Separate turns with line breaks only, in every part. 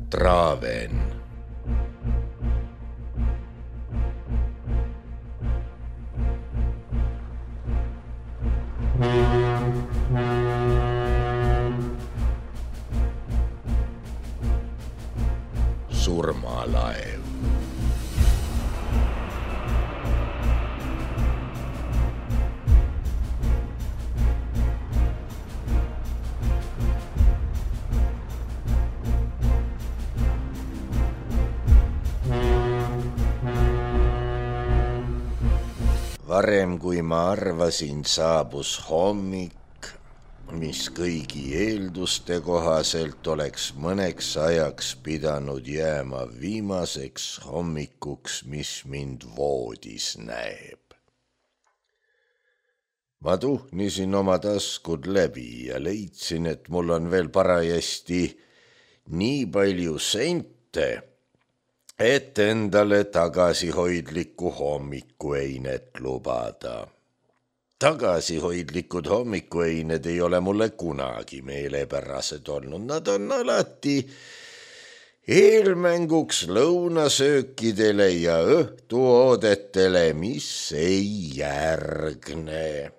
Traven. Surmalaev. Varem kui ma arvasin, saabus hommik, mis kõigi eelduste kohaselt oleks mõneks ajaks pidanud jääma viimaseks hommikuks, mis mind voodis näeb. Ma tuhnisin oma taskud läbi ja leidsin, et mul on veel parajasti nii palju sente, et endale tagasihoidlikku hommikueinet lubada. Tagasihoidlikud hommikueined ei ole mulle kunagi meelepärased olnud. Nad on alati eelmänguks lõunasöökidele ja õhtuoodetele, mis ei järgne.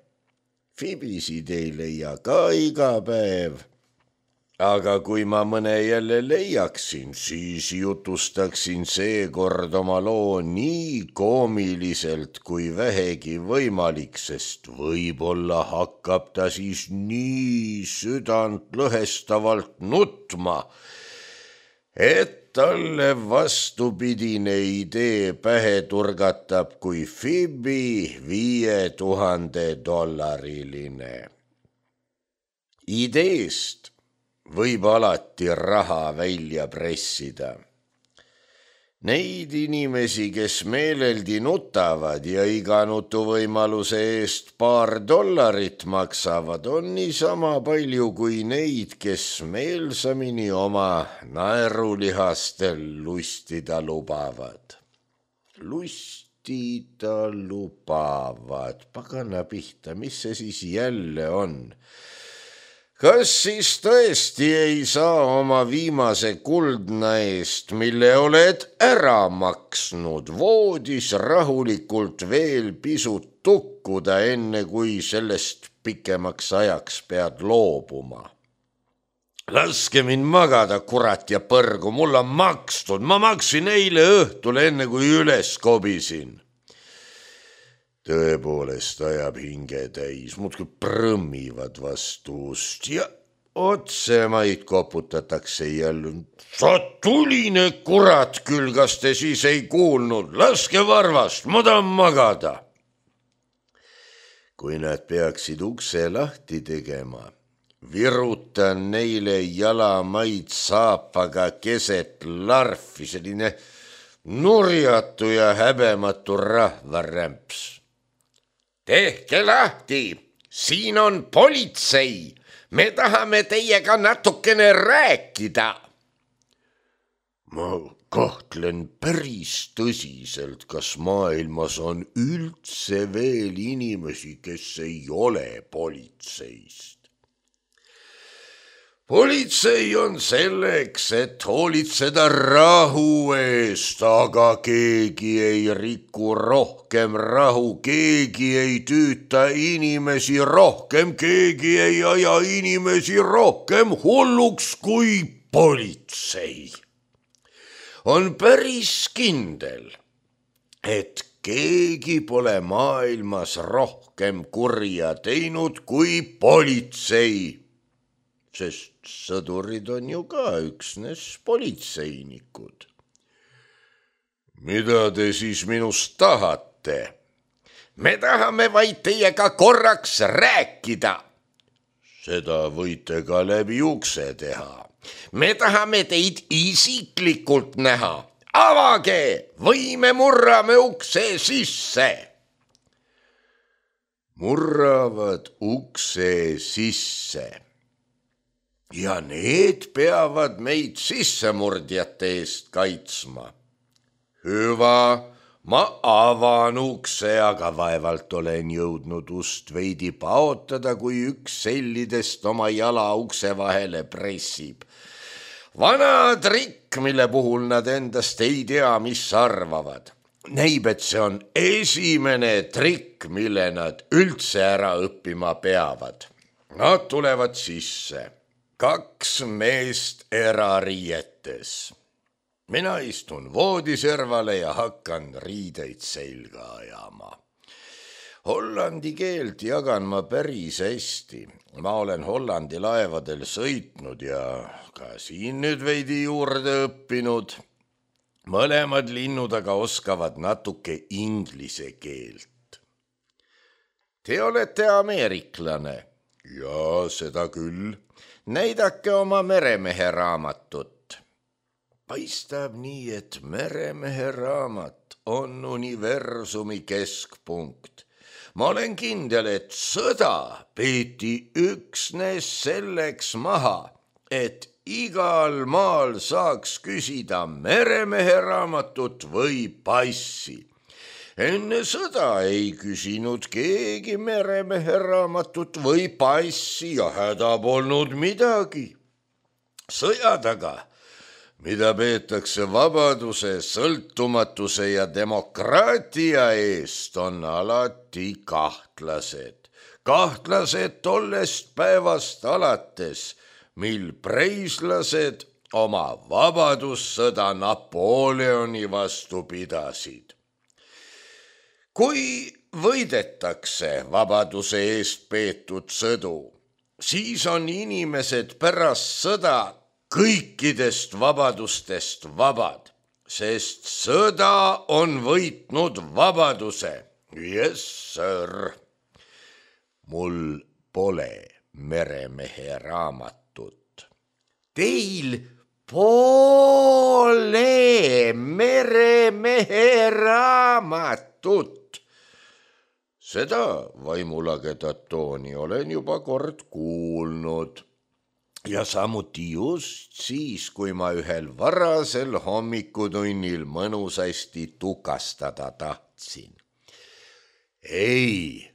Fibisid ei leia ka iga päev. Aga kui ma mõne jälle leiaksin, siis jutustaksin seekord oma loo nii koomiliselt kui vähegi võimalik, sest võib-olla hakkab ta siis nii südantlõhestavalt nutma, et talle vastupidine idee pähe turgatab kui Fibi $5000. Ideest võib alati raha välja pressida. Neid inimesi, kes meeleldi nutavad ja iga nutuvõimaluse eest $2 maksavad, on niisama palju kui neid, kes meelsamini oma naerulihastel lustida lubavad. Lustida lubavad, pagana pihta, mis see siis jälle on? Kas siis tõesti ei saa oma viimase kuldna eest, mille oled ära maksnud, voodis rahulikult veel pisut tukkuda, enne kui sellest pikemaks ajaks pead loobuma? Laske mind magada, kurat ja põrgu, mul on makstud, ma maksin eile õhtul, enne kui üles kobisin. Tõepoolest ajab hinge täis, muudkui prõmmivad vastu ust ja otsemaid koputatakse jälle. Sa tuline kurat küll, kas te siis ei kuulnud? Laske varvast, ma tahan magada. Kui nad peaksid ukse lahti tegema, virutan neile jalamaid saapaga keset larfi, selline nurjatu ja häbematu rahvarämps. Tehke lahti, siin on politsei, me tahame teiega natukene rääkida. Ma kahtlen päris tõsiselt, kas maailmas on üldse veel inimesi, kes ei ole politseist. Politsei on selleks, et hoolitseda rahu eest, aga keegi ei riku rohkem rahu, keegi ei tüüta inimesi rohkem, keegi ei aja inimesi rohkem hulluks kui politsei. On päris kindel, et keegi pole maailmas rohkem kurja teinud kui politsei. Sest sõdurid on ju ka üksnes politseinikud. Mida te siis minust tahate? Me tahame vaid teiega korraks rääkida. Seda võite ka läbi ukse teha. Me tahame teid isiklikult näha. Avage või me murrame ukse sisse. Murravad ukse sisse. Ja need peavad meid sissemurdjate eest kaitsma. Hüva, ma avan ukse, aga vaevalt olen jõudnud ust veidi paotada, kui üks sellidest oma jala ukse vahele pressib. Vanad trikk, mille puhul nad endast ei tea, mis arvavad. Näib, et see on esimene trikk, mille nad üldse ära õppima peavad. Nad tulevad sisse, 2 meest erariietes. Mina istun voodiservale ja hakkan riideid selga ajama. Hollandi keelt jagan ma päris hästi. Ma olen Hollandi laevadel sõitnud ja ka siin nüüd veidi juurde õppinud. Mõlemad linnud aga oskavad natuke inglise keelt. Te olete ameeriklane. Jaa, seda küll. Näidake oma meremehe raamatut. Paistab nii, et meremehe raamat on universumi keskpunkt. Ma olen kindel, et sõda peeti üksnes selleks maha, et igal maal saaks küsida meremehe raamatut või passi. Enne sõda ei küsinud keegi meremehe raamatut või passi ja häda polnud midagi. Sõja taga, mida peetakse vabaduse, sõltumatuse ja demokraatia eest, on alati kahtlased. Kahtlased tollest päevast alates, mil preislased oma vabadussõda Napoleoni vastu pidasid. Kui võidetakse vabaduse eest peetud sõdu, siis on inimesed pärast sõda kõikidest vabadustest vabad, sest sõda on võitnud vabaduse. Yes, sir. Mul pole meremehe raamatut. Teil pole meremehe raamatut. Seda vaimulagedat tooni olen juba kord kuulnud. Ja samuti just siis, kui ma ühel varasel hommikutunnil mõnusasti tukastada tahtsin. Ei,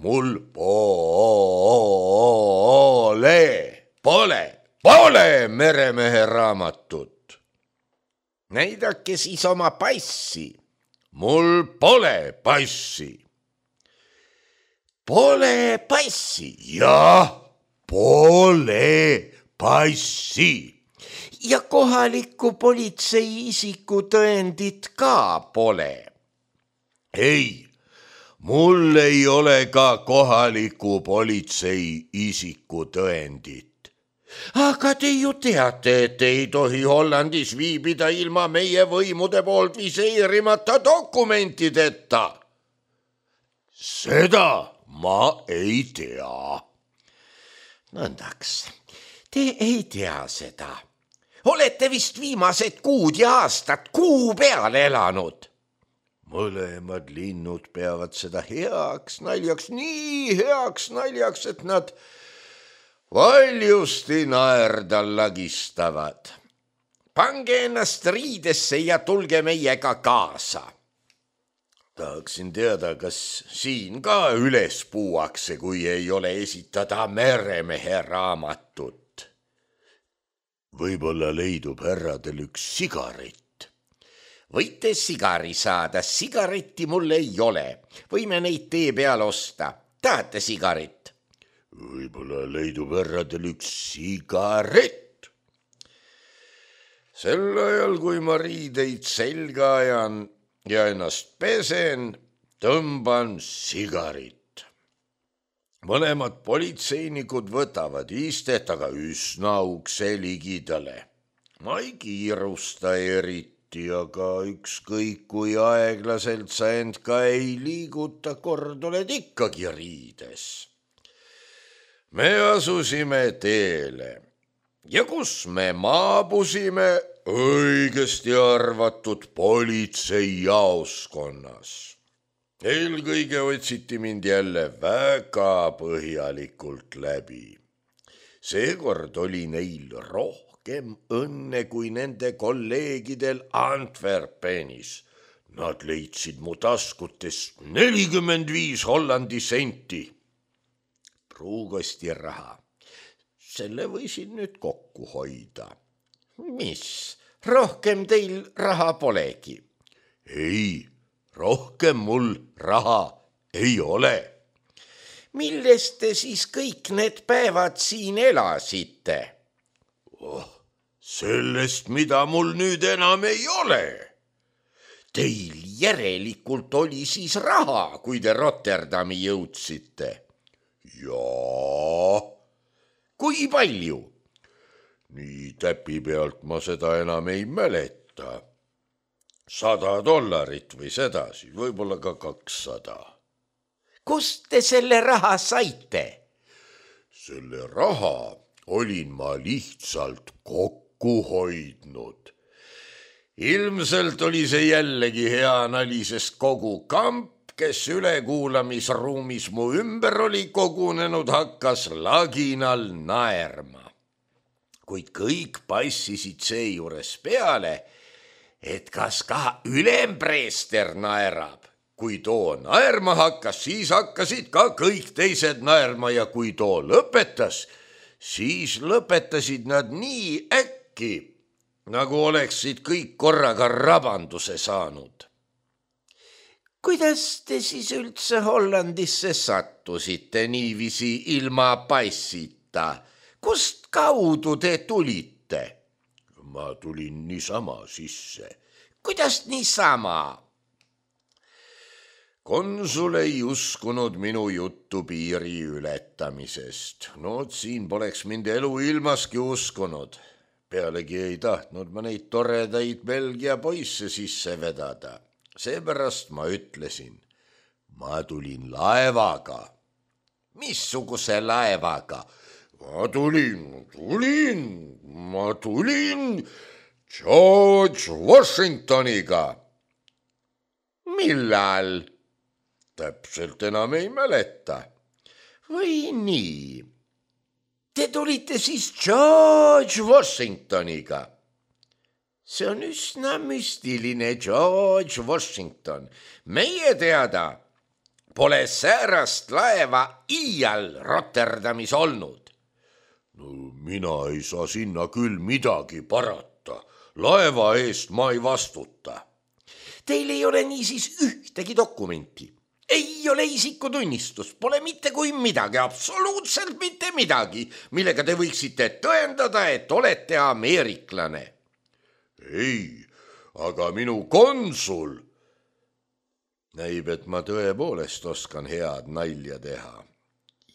mul pole meremehe raamatut. Näidake siis oma passi. Mul pole passi. Pole passi, jah. Pole passi. Ja kohaliku politsei isikutõendit ka pole. Ei, mul ei ole ka kohaliku politsei isikutõendit. Aga te ju teate, et ei tohi Hollandis viibida ilma meie võimude poolt viseerimata dokumentideta. Seda ma ei tea. Nõndaks, te ei tea seda. Olete vist viimased kuud ja aastad kuu peal elanud. Mõlemad linnud peavad seda heaks naljaks, nii heaks naljaks, et nad valjusti naerda lagistavad. Pange ennast riidesse ja tulge meiega kaasa. Tahaksin teada, kas siin ka üles puuakse, kui ei ole esitada meremehe raamatut. Võib-olla leidub härradel üks sigaret. Võite sigari saada, sigaretti mul ei ole. Võime neid tee peal osta. Tahate sigaret? Võib-olla leidub härradel üks sigaret. Sel ajal, kui ma riideid selga ajan ja ennast pesen, tõmban sigarit. Mõlemad politseinikud võtavad istet, aga üsna ukse ligidale. Ma ei kiirusta eriti, aga ükskõik kui aeglaselt sa end ka ei liiguta, kord oled ikkagi riides. Me asusime teele ja kus me maabusime, õigesti arvatud politseijaoskonnas. Eelkõige otsiti mind jälle väga põhjalikult läbi. Seekord oli neil rohkem õnne kui nende kolleegidel Antwerpenis. Nad leidsid mu taskutest 45 Hollandi senti. Pruugosti raha. Selle võisin nüüd kokku hoida. Mis? rohkem teil raha polegi?
ei, rohkem mul raha ei ole.
Millest te siis kõik need päevad siin elasite?
Sellest, mida mul nüüd enam ei ole.
Teil järelikult oli siis raha, kui te Rotterdami jõudsite?
Jaa.
Kui palju?
Nii täpi pealt ma seda enam ei mäleta. $100 või sedasi, võib-olla ka 200.
Kust te selle raha saite?
Selle raha olin ma lihtsalt kokku hoidnud. Ilmselt oli see jällegi hea nali, sest kogu kamp, kes ülekuulamisruumis mu ümber oli kogunenud, hakkas laginal naerma. Kuid kõik passisid seejuures peale, et kas ka ülempreester naerab. Kui too naerma hakkas, siis hakkasid ka kõik teised naerma ja kui too lõpetas, siis lõpetasid nad nii äkki, nagu oleksid kõik korraga rabanduse saanud. Kuidas te siis üldse Hollandisse sattusite niiviisi ilma passita? Kust kaudu te tulite? Ma tulin niisama sisse.
Kuidas niisama?
Konsul ei uskunud minu juttu piiri ületamisest. No siin poleks mind elu ilmaski uskunud. Pealegi ei tahtnud ma neid toredaid Belgia poisse sisse vedada. Seepärast ma ütlesin, ma tulin laevaga.
Missuguse laevaga?
Ma tulin George Washingtoniga.
Millal?
Täpselt enam ei mäleta.
Või nii? Te tulite siis George Washingtoniga. See on üsna müstiline, George Washington. Meie teada pole säärast laeva iial Rotterdamis olnud.
No, mina ei saa sinna küll midagi parata. Laeva eest ma ei vastuta.
Teil ei ole niisiis ühtegi dokumenti. Ei ole isikutunnistust, pole mitte kui midagi, absoluutselt mitte midagi, millega te võiksite tõendada, et olete ameeriklane.
Ei, aga minu konsul. Näib, et ma tõepoolest oskan head nalja teha.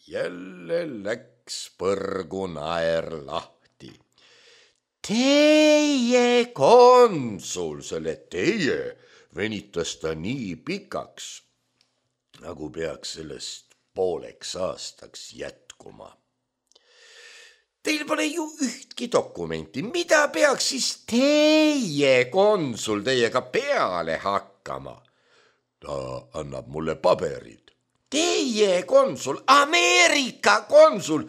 Jälle läks põrgu naer lahti.
Teie konsul,
selle teie venitas ta nii pikaks, nagu peaks sellest pooleks aastaks jätkuma.
Teil pole ju ühtki dokumenti, mida peaks siis teie konsul teiega peale hakkama?
Ta annab mulle paberid.
Teie konsul, Ameerika konsul,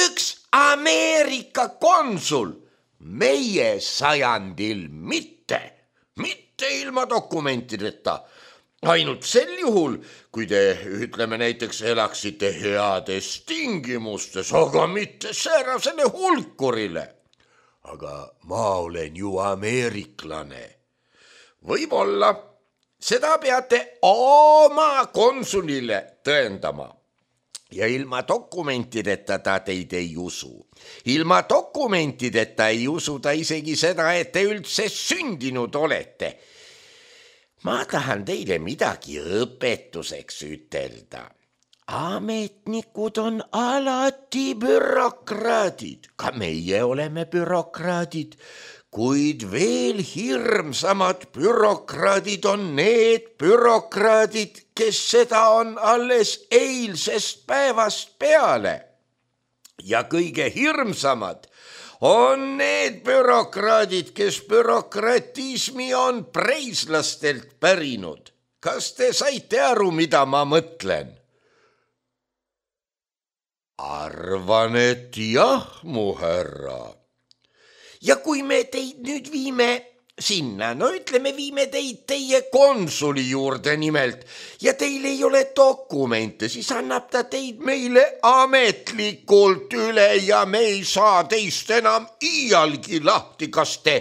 üks Ameerika konsul, meie sajandil mitte ilma dokumentideta. Ainult sel juhul, kui te, ütleme näiteks, elaksite heades tingimustes, aga mitte säärasele hulkurile.
Aga ma olen ju ameeriklane.
Võib-olla, seda peate oma konsulile tõendama. Ja ilma dokumentideta ta teid ei usu. Ilma dokumentideta ei usu ta isegi seda, et te üldse sündinud olete. Ma tahan teile midagi õpetuseks ütelda. Ametnikud on alati bürokraadid, ka meie oleme bürokraadid, kuid veel hirmsamad bürokraadid on need bürokraadid, kes seda on alles eilsest päevast peale. Ja kõige hirmsamad on need bürokraadid, kes bürokratismi on preislastelt pärinud. Kas te saite aru, mida ma mõtlen?
Arvan, et jah, mu härra.
Ja kui me teid nüüd viime sinna, no ütleme, viime teid teie konsuli juurde nimelt ja teil ei ole dokumente, siis annab ta teid meile ametlikult üle ja me ei saa teist enam iialgi lahti. Kas te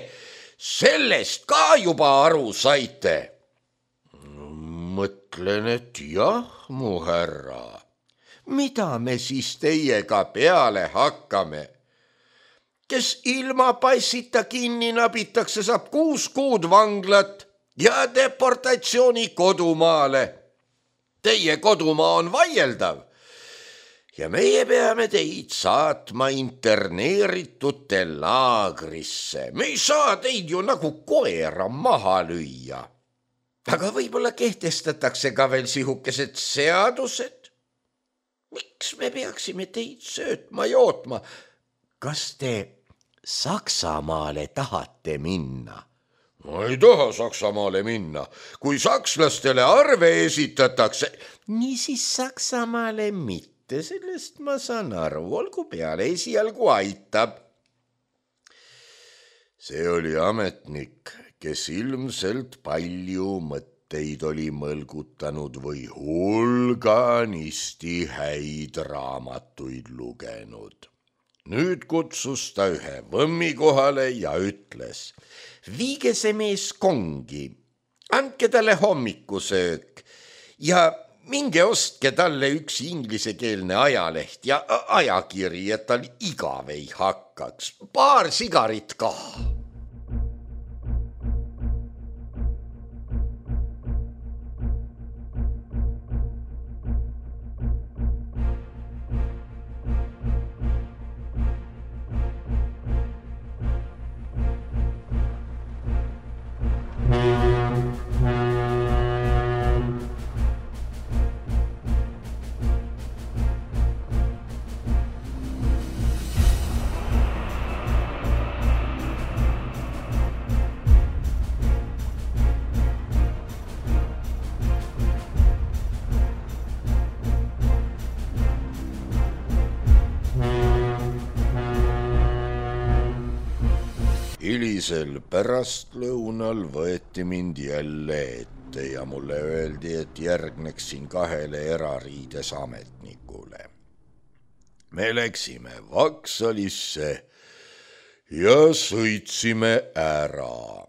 sellest ka juba aru saite?
Mõtlen, et jah, mu härra.
Mida me siis teiega peale hakkame? Kes ilma passita kinni nabitakse, saab 6 kuud vanglat ja deportatsiooni kodumaale. Teie kodumaa on vaieldav ja meie peame teid saatma interneeritute laagrisse. Me ei saa teid ju nagu koera maha lüüa. Aga võib-olla kehtestatakse ka veel sihukesed seadused. Miks me peaksime teid söötma jootma? Kas te Saksamaale tahate minna?
Ma ei taha Saksamaale minna. Kui sakslastele arve esitatakse...
Niisiis Saksamaale mitte, sellest ma saan aru. Olgu peale, esialgu aitab.
See oli ametnik, kes ilmselt palju mõtteid oli mõlgutanud või hulganisti häid raamatuid lugenud. Nüüd kutsus ta ühe võmmi kohale ja ütles:
viige see mees kongi, andke talle hommikusöök ja minge ostke talle üks inglisekeelne ajaleht ja ajakiri, et tal igav ei hakkaks. 2 sigarit ka.
Hilisel pärastlõunal võeti mind jälle ette ja mulle öeldi, et järgneksin 2 erariides ametnikule. Me läksime Vaksalisse ja sõitsime ära.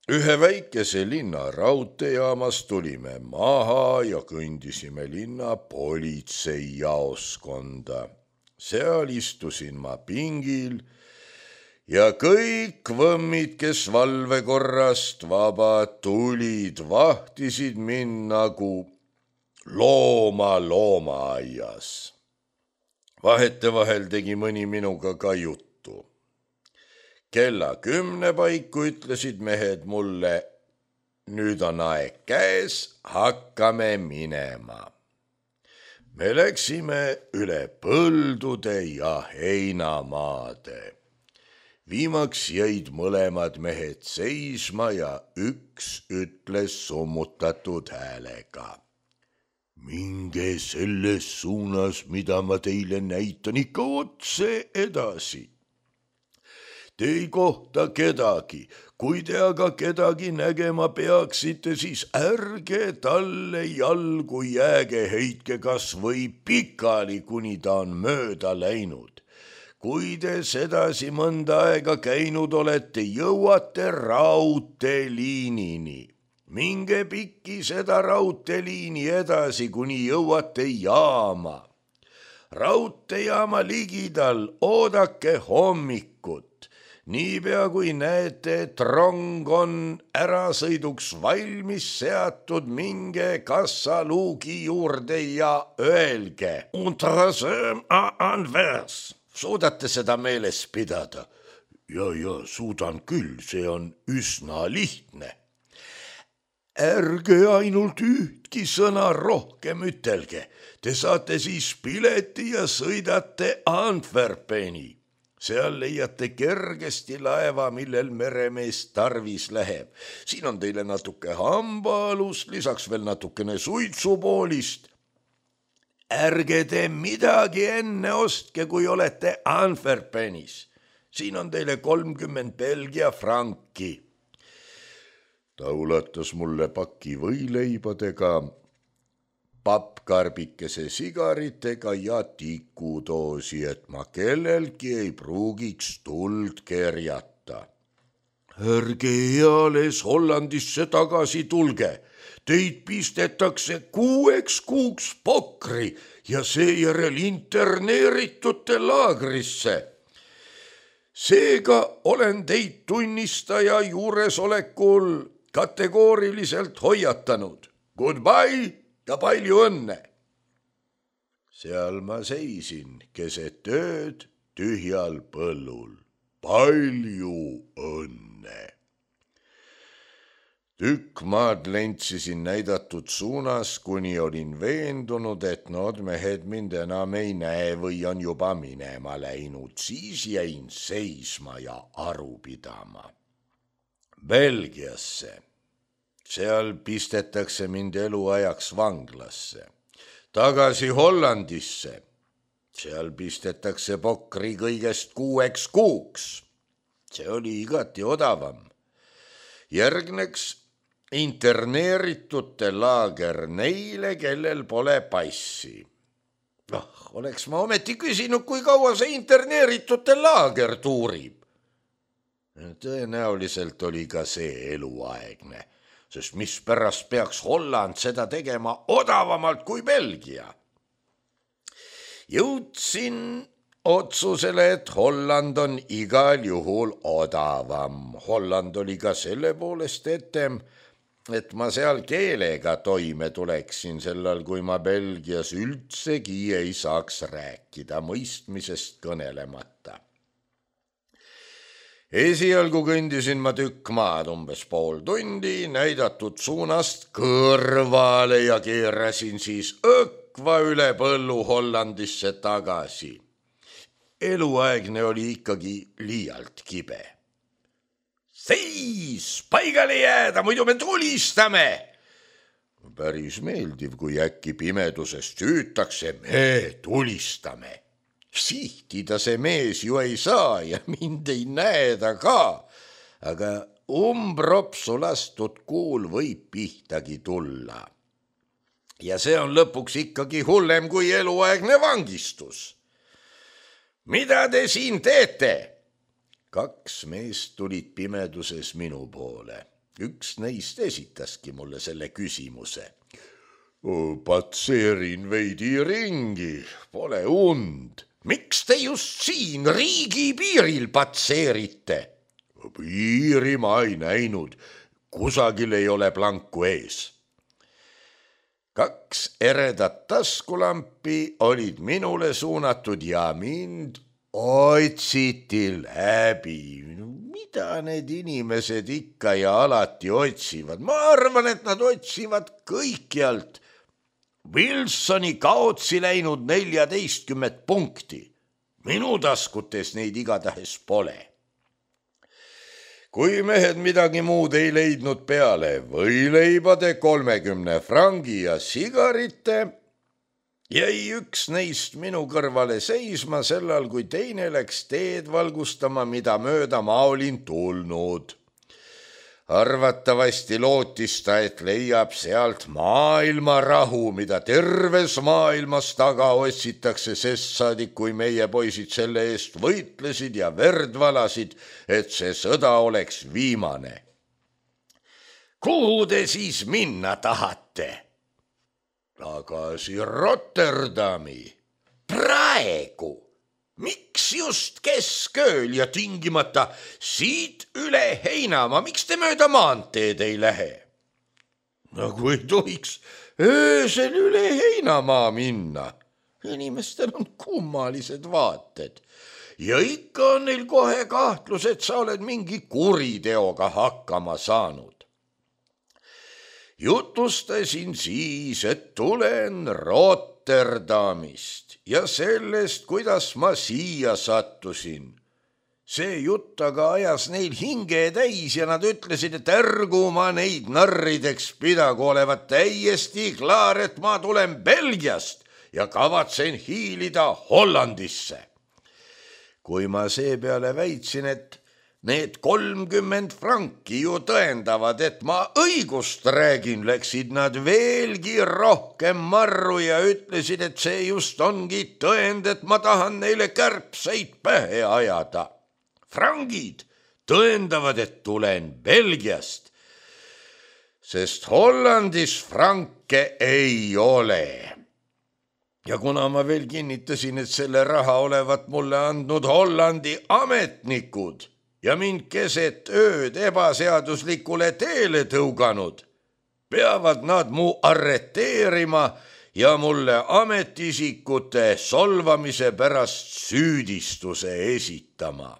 Ühe väikese linna raudteejaamast tulime maha ja kõndisime linna politseijaoskonda. Seal istusin ma pingil ja kõik võmmid, kes valvekorrast vabad tulid, vahtisid mind nagu looma loomaaias. Vahetevahel tegi mõni minuga ka juttu. Kella 10 paiku ütlesid mehed mulle: nüüd on aeg käes, hakkame minema. Me läksime üle põldude ja heinamaade. Viimaks jäid mõlemad mehed seisma ja üks ütles summutatud häälega: minge selles suunas, mida ma teile näitan, ikka otse edasi. Te ei kohta kedagi, kui te aga kedagi nägema peaksite, siis ärge talle jalgu jääge, heitke kas või pikali, kuni ta on mööda läinud. Kui te sedasi mõnda aega käinud olete, jõuate raudteeliinini. Minge pikki seda raudteeliini edasi, kuni jõuate jaama. Raudteejaama ligidal oodake hommikut. Niipea kui näete, et rong on ärasõiduks valmis seatud, minge kassaluugi juurde ja öelge: Untersöm à Anvers. Suudate seda meeles pidada? Ja, suudan küll, see on üsna lihtne. Ärge ainult ühtki sõna rohkem ütelge. Te saate siis pileti ja sõidate Antwerpeni. Seal leiate kergesti laeva, millel meremees tarvis läheb. Siin on teile natuke hambaalust, lisaks veel natukene suitsupoolist. Ärge te midagi enne ostke, kui olete Antwerpenis. Siin on teile 30 Belgia franki. Ta ulatas mulle paki võileibadega, pappkarbikese sigaritega ja tikudoosi, et ma kellelgi ei pruugiks tuld kerjata. ärge eales Hollandisse tagasi tulge, teid pistetakse 6 kuuks pokri ja seejärel interneeritute laagrisse. Seega olen teid tunnistaja juuresolekul kategooriliselt hoiatanud. Goodbye ja palju õnne. Seal ma seisin keset ööd tühjal põllul. Palju õnne. Tükk maad lentsisin näidatud suunas, kuni olin veendunud, et nood mehed mind enam ei näe või on juba minema läinud. Siis jäin seisma ja aru pidama. Belgiasse. Seal pistetakse mind eluajaks vanglasse. Tagasi Hollandisse. Seal pistetakse pokri kõigest 6 kuuks. See oli igati odavam. Järgneks interneeritute laager neile, kellel pole passi. Oleks ma ometi küsinud, kui kaua see interneeritute laager tuurib. Tõenäoliselt oli ka see eluaegne, sest mispärast peaks Holland seda tegema odavamalt kui Belgia. Jõudsin otsusele, et Holland on igal juhul odavam. Holland oli ka selle poolest etem, et ma seal keelega toime tuleksin sellal, kui ma Belgias üldsegi ei saaks rääkida, mõistmisest kõnelemata. Esialgu kõndisin ma tükk maad, umbes pool tundi, näidatud suunast kõrvale ja keerasin siis õkva üle põllu Hollandisse tagasi. Eluaegne oli ikkagi liialt kibe. Seis, paigale jääda, muidu me tulistame. Päris meeldiv, kui äkki pimedusest hüütakse, me tulistame. Sihtida see mees ju ei saa ja mind ei näe ta ka, aga umbropsu lastud kuul võib pihtagi tulla. Ja see on lõpuks ikkagi hullem kui eluaegne vangistus. Mida te siin teete? 2 meest tulid pimeduses minu poole. Üks neist esitaski mulle selle küsimuse. Patseerin veidi ringi, pole und. Miks te just siin riigi piiril patseerite? Piiri ma ei näinud, kusagil ei ole planku ees. 2 eredat taskulampi olid minule suunatud ja mind otsiti läbi. Mida need inimesed ikka ja alati otsivad? Ma arvan, et nad otsivad kõikjalt. Wilsoni kaotsi läinud 14 punkti. Minu taskutes neid igatahes pole. Kui mehed midagi muud ei leidnud peale võileibade 30 frangi ja sigarite, jäi üks neist minu kõrvale seisma sellal, kui teine läks teed valgustama, mida mööda ma olin tulnud. Arvatavasti lootis ta, et leiab sealt maailma rahu, mida terves maailmas taga otsitakse, sest saadik, kui meie poisid selle eest võitlesid ja verd valasid, et see sõda oleks viimane. Kuhu te siis minna tahate? Tagasi Rotterdami. Praegu. Miks just keskööl ja tingimata siit üle Heinamaa? Miks te mööda maanteed ei lähe? Nagu ei tohiks öösel üle Heinamaa minna. Inimestel on kummalised vaated. Ja ikka on neil kohe kahtlus, et sa oled mingi kuriteoga hakkama saanud. Jutustasin siis, et tulen Rotterdamist ja sellest, kuidas ma siia sattusin. See jutt aga ajas neil hinge täis ja nad ütlesid, et ärgu ma neid narrideks pidagu, olevat täiesti klaar, et ma tulen Belgiast ja kavatsen hiilida Hollandisse. Kui ma seepeale väitsin, et need 30 franki ju tõendavad, et ma õigust räägin, läksid nad veelgi rohkem marru ja ütlesid, et see just ongi tõend, et ma tahan neile kärbseid pähe ajada. Frangid, tõendavad, et tulen Belgiast, sest Hollandis franke ei ole. Ja kuna ma veel kinnitasin, et selle raha olevat mulle andnud Hollandi ametnikud ja mind keset ööd ebaseaduslikule teele tõuganud, peavad nad mu arreteerima ja mulle ametiisikute solvamise pärast süüdistuse esitama.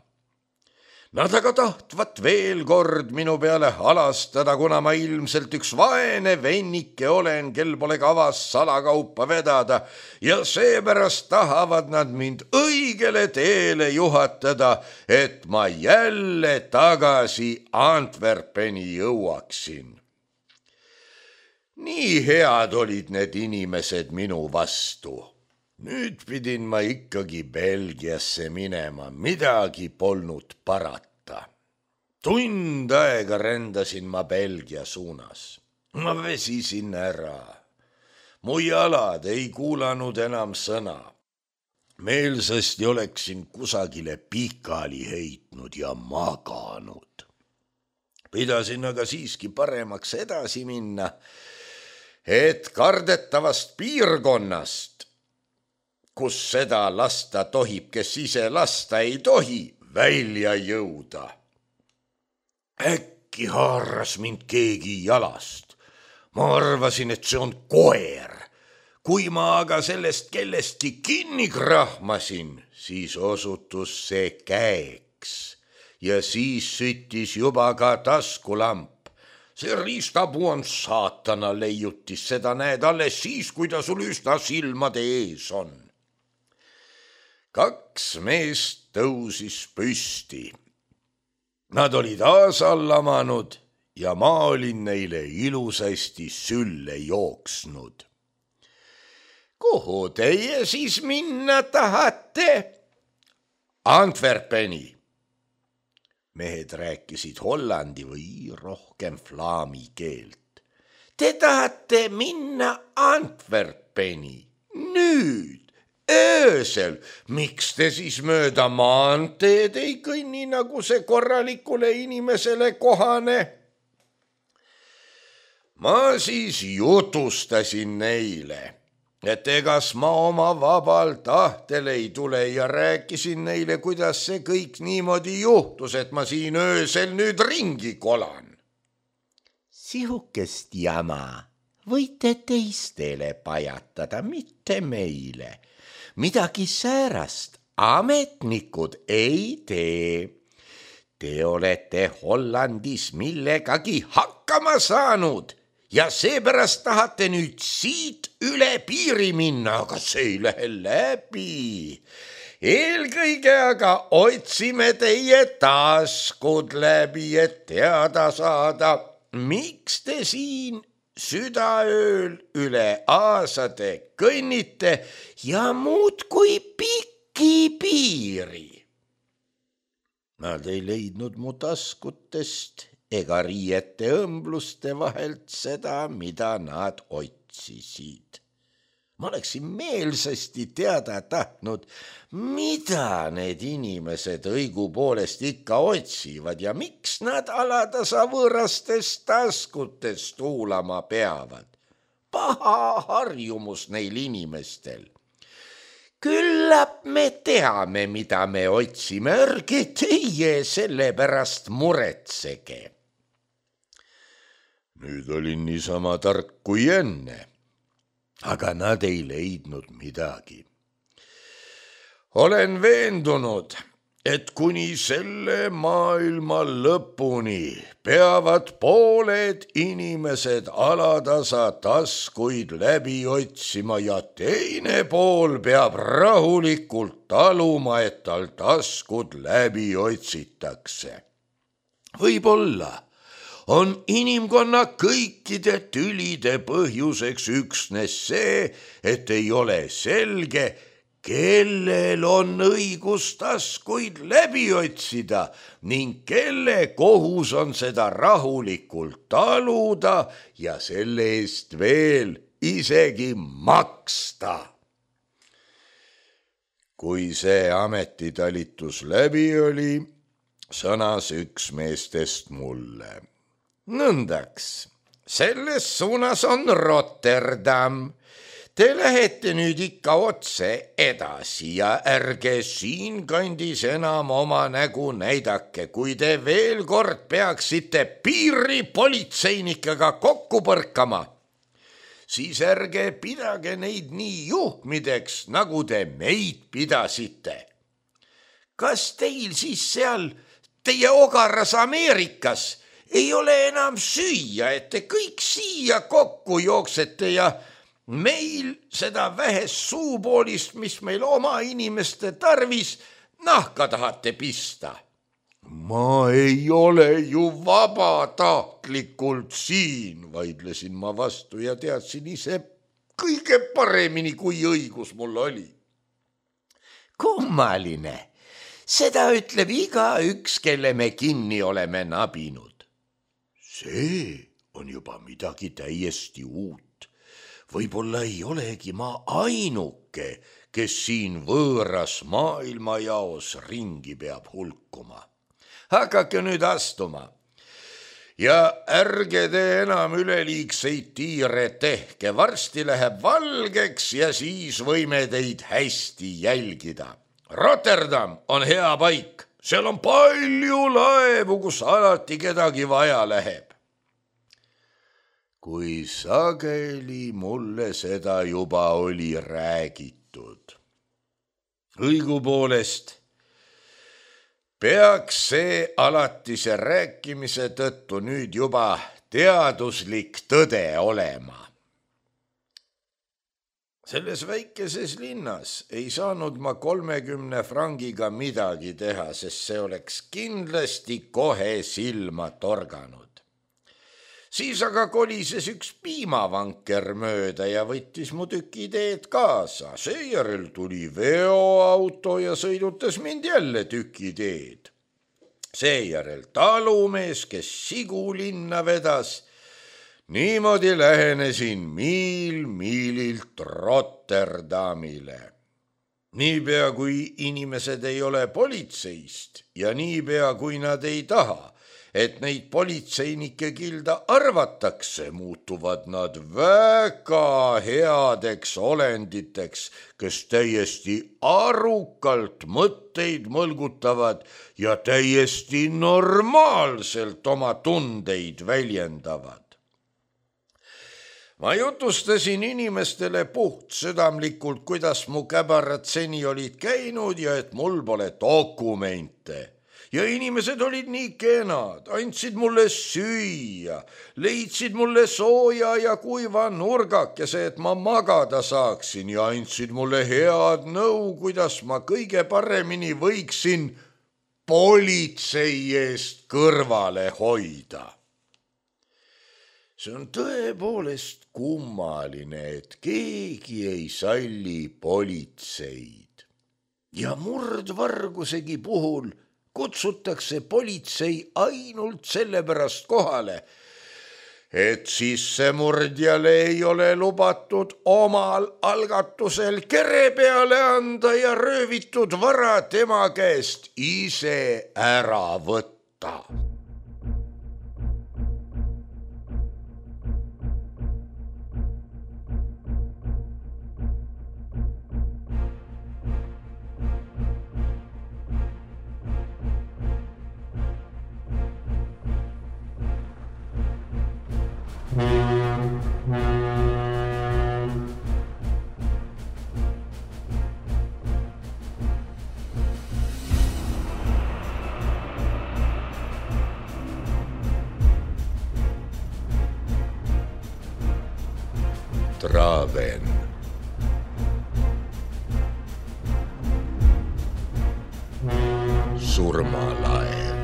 Nad aga tahtvat veel kord minu peale halastada, kuna ma ilmselt üks vaene vennike olen, kel pole kavas salakaupa vedada ja seepärast tahavad nad mind õigele teele juhatada, et ma jälle tagasi Antwerpeni jõuaksin. Nii head olid need inimesed minu vastu. Nüüd pidin ma ikkagi Belgiasse minema, midagi polnud parata. Tund aega rändasin ma Belgia suunas. Ma vesisin ära. Mu jalad ei kuulanud enam sõna. Meelsasti oleksin kusagile pikali heitnud ja maganud. Pidasin aga siiski paremaks edasi minna, et kardetavast piirkonnast, kus seda lasta tohib, kes ise lasta ei tohi, välja jõuda. Äkki haaras mind keegi jalast. Ma arvasin, et see on koer. Kui ma aga sellest kellestki kinni krahmasin, siis osutus see käeks ja siis süttis juba ka taskulamp. See riistapuu on saatana leiutis, seda näed alles siis, kui ta sul üsna silmade ees on. 2 meest tõusis püsti. Nad olid aasallamanud ja ma olin neile ilusasti sülle jooksnud. Kuhu teie siis minna tahate? Antwerpeni. Mehed rääkisid hollandi või rohkem flaami keelt. Te tahate minna Antwerpeni? Nüüd? Öösel, miks te siis mööda maanteed ei kõnni, nagu see korralikule inimesele kohane? Ma siis jutustasin neile, et egas ma oma vabal tahtel ei tule ja rääkisin neile, kuidas see kõik niimoodi juhtus, et ma siin öösel nüüd ringi kolan. Sihukest jama võite teistele pajatada, mitte meile. Midagi säärast ametnikud ei tee. Te olete Hollandis millegagi hakkama saanud ja seepärast tahate nüüd siit üle piiri minna, aga see ei lähe läbi. Eelkõige aga otsime teie taskud läbi, et teada saada, miks te siin südaööl üle aasade kõnnite ja muudkui pikki piiri. Nad ei leidnud mu taskutest ega riiete õmbluste vahelt seda, mida nad otsisid. Ma oleksin meelsasti teada tahtnud, mida need inimesed õigupoolest ikka otsivad ja miks nad alatasa võõrastest taskutest tuulama peavad. Paha harjumus neil inimestel. Küllap me teame, mida me otsime, ärge teie selle pärast muretsege. Nüüd olin niisama tark kui enne. Aga nad ei leidnud midagi. Olen veendunud, et kuni selle maailma lõpuni peavad pooled inimesed alatasa taskuid läbi otsima ja teine pool peab rahulikult taluma, et tal taskud läbi otsitakse. Võib-olla on inimkonna kõikide tülide põhjuseks üksnes see, et ei ole selge, kellel on õigus taskuid läbi otsida ning kelle kohus on seda rahulikult taluda ja selle eest veel isegi maksta. Kui see ametitalitus läbi oli,
sõnas üks meestest mulle. Nõndaks, selles suunas on Rotterdam. Te lähete nüüd ikka otse edasi ja ärge siinkandis enam oma nägu näidake, kui te veel kord peaksite piiripolitseinikega kokku põrkama. Siis ärge pidage neid nii juhmideks, nagu te meid pidasite. Kas teil siis seal teie ogaras Ameerikas ei ole enam süüa, et te kõik siia kokku jooksete ja meil seda vähest suupoolist, mis meil oma inimeste tarvis, nahka tahate pista? Ma ei ole ju vabatahtlikult siin, vaidlesin ma vastu ja teadsin ise kõige paremini, kui õigus mul oli. Kummaline, seda ütleb igaüks, kelle me kinni oleme nabinud. See on juba midagi täiesti uut. Võib-olla ei olegi ma ainuke, kes siin võõras maailmajaos ringi peab hulkuma. Hakake nüüd astuma ja ärge te enam üleliigseid tiire tehke, varsti läheb valgeks ja siis võime teid hästi jälgida. Rotterdam on hea paik, seal on palju laevu, kus alati kedagi vaja läheb. Kui sageli mulle seda juba oli räägitud. Õigupoolest peaks see alatise rääkimise tõttu nüüd juba teaduslik tõde olema. Selles väikeses linnas ei saanud ma 30 frangiga midagi teha, sest see oleks kindlasti kohe silma torganud. Siis aga kolises üks piimavanker mööda ja võttis mu tükiteed kaasa. Seejärel tuli veoauto ja sõidutas mind jälle tükiteed. Seejärel talumees, kes sigu linna vedas. Niimoodi lähenesin miil miililt Rotterdamile. Niipea kui inimesed ei ole politseist ja niipea kui nad ei taha, et neid politseinike kilda arvatakse, muutuvad nad väga headeks olenditeks, kes täiesti arukalt mõtteid mõlgutavad ja täiesti normaalselt oma tundeid väljendavad. Ma jutustasin inimestele puhtsüdamlikult, kuidas mu käbarad seni olid käinud ja et mul pole dokumente. Ja inimesed olid nii kenad, andsid mulle süüa, leidsid mulle sooja ja kuiva nurgakese, et ma magada saaksin ja andsid mulle head nõu, kuidas ma kõige paremini võiksin politsei eest kõrvale hoida. See on tõepoolest kummaline, et keegi ei salli politseid. Ja murdvargusegi puhul kutsutakse politsei ainult sellepärast kohale, et sissemurdjale ei ole lubatud omal algatusel kere peale anda ja röövitud vara tema käest ise ära võtta. Traven. Surmalaev.